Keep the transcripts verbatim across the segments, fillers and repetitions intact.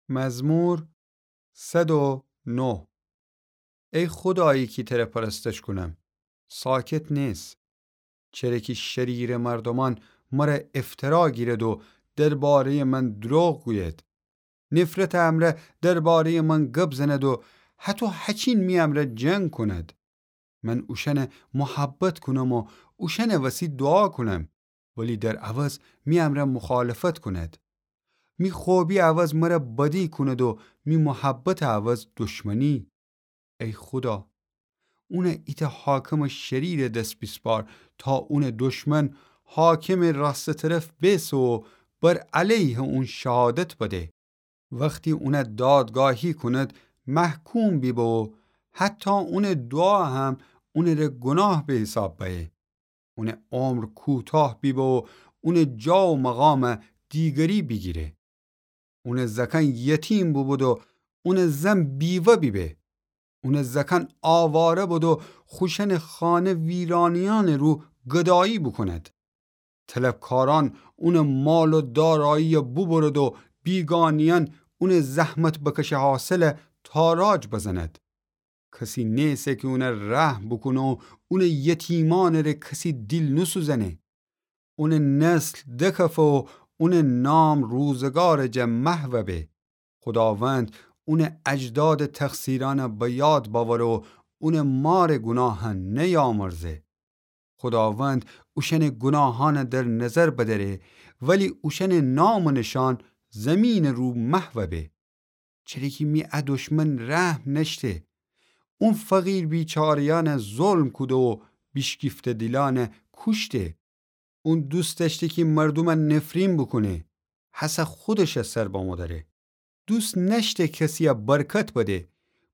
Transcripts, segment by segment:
مزمور صد و نه. ای خودایی کی تره پرستش کونم، ساکت نیس. چره کی شریرٚ مردومأن مره افترا گیرد و درباره‌یٚ من دروغ گوید. نفرتٚ امرأ درباره‌یٚ من گب زند و هتو هچین می امرأ جنگ کند. من اوشأنه محبت کونم و اوشأنٚ وسی دوعا کونم، ولی در عوض می امرأ مخالفت کند. می خوبی عوض مره بدی کند و می محبتٚ عوض دشمنی. ای خودا، اونه ایتأ حاکمٚ شریرٚ دس بیسپار تا اونٚ دشمن حاکمٚ راستٚ طرف بیسه و بر علیه اون شهادت بده. وختی اونه دادگاهی کند، محکوم بیبه و حتی اونٚ دوعا هم اونٚره گوناه به حساب بأیه. اونٚ عمر کوتاه بیبه و اونٚ جا و مقام دیگری بیگیره. اونٚ زأکأن یتیم بوبود و اونٚ زن بیوه بیبه. اونٚ زأکأن آواره بود و خوشأنٚ خانه ویرانیأنٚ رو گدایی بوکوند. طلبکارأن اونٚ مال و دارایی‌یه بوبرد و بیگانه‌یأن اونٚ زحمت بکشه حاصله تاراج بزند. کسی نیسه کی اونه رحم بوکونه و اونٚ یتیمأنٚ ره کسی دیل نوسوزأنه. اونٚ نسل دکفه و اونٚ نام روزگارٚ جا محو به. خوداوند اونٚ اجدادٚ تقصیرأنه به یاد بأوره و اونٚ مارٚ گوناهأن نیامرزه. خوداوند اوشأنٚ گوناهأنه در نظر بدأره، ولی اوشأنٚ نام و نشأن زیمینٚ رو محو به. چره کی می ا دشمن رحم نأشته. اون فقیر بیچاره‌یأنه ظلم کوده و بیشکیفته دیلأنه کوشته. اون دوست دأشته کی مردومه نفرین بوکونه، هسه خودشه سر بمو دأره. دوست نأشته کسی‌یه برکت بده،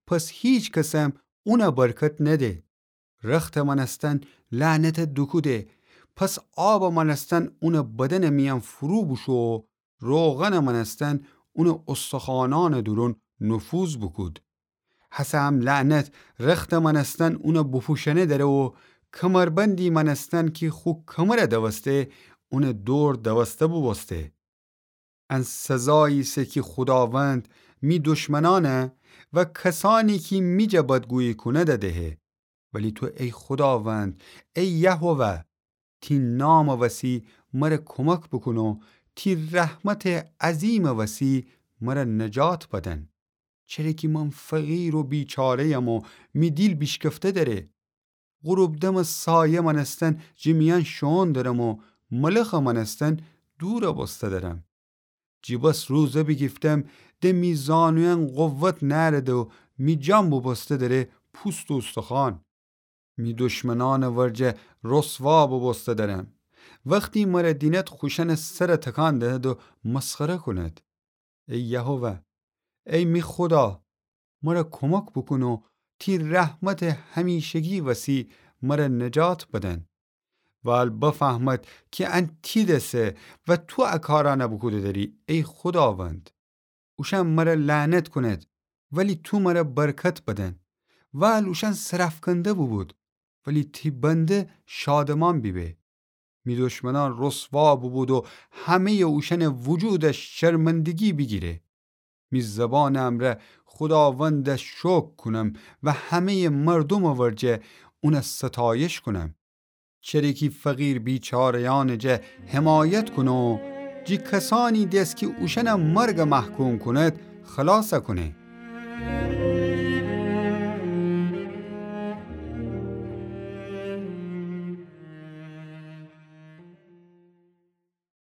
پس هیچ کسم اونه برکت نده. رختٚ مأنستن لعنته دوکوده، پس آبٚ مأنستن اونٚ بدنٚ میأن فرو بوشو و روغنٚ مأنستن اونٚ استخوانأنٚ دورون نفوذ بوکود. هسه هم لعنت رختٚ مأنستن اونه بوپوشأنه دأره و کمربندی مأنستن کی خو کمره دوسته، اونٚ دور دوسته بوبوسته. ان سزایی ایسه کی خوداوند می دشمنأنه و کسأنی کی می جا بدگویی کونده دهه. ولی تو ای خوداوند، ای یهوه، تی نامٚ وسی مره کومک بوکون و تی رحمتٚ عظیمٚ وسی مره نجات بدن. چره کی من فقیر و بیچاره‌یم و می دیل بیشکفته دأره. غروب دمٚ سایه مأنستن جٚه میأن شوئون درم و ملخٚ مأنستن دورَ بوسته درم. جٚه بس روزه بیگیفتم، د می زانویأن قوت نأرده و می جان بوبوسته دره پوست و اوستخوأن. می دشمنأنٚ ورجه رسوا بوبوسته درم. وختی مره دینید خوشأنٚ سرَ تکان دهید و مسخره کونید. ای یهوه، ای می خودا، مره کومک بوکون و تی رحمتٚ همیشگی وسی مره نجات بدن. وال بفهمد کی ان تی دسه و تو ا کارأنَ بوکوده دری، ای خوداوند. اوشأن مره لعنت کونید، ولی تو مره برکت بدن. وال اوشأن سرأفکنده بوبود، ولی تی بنده شادمأن بیبه. می دشمنأن رسوا بوبود و همه‌یٚ اوشأنٚ وجودَ شرمندگی بیگیره. می زبانٚ امرأ خوداوندَ شکر کونم و همه‌یٚ مردومٚ ورجه اونَ ستایش کونم. چره کی فقیر بیچاره‌یأنٚ جا حمایت کونه و جٚه کسأنی دس کی اوشأنَ مرگَ محکوم کونید، خلاصَ کونه.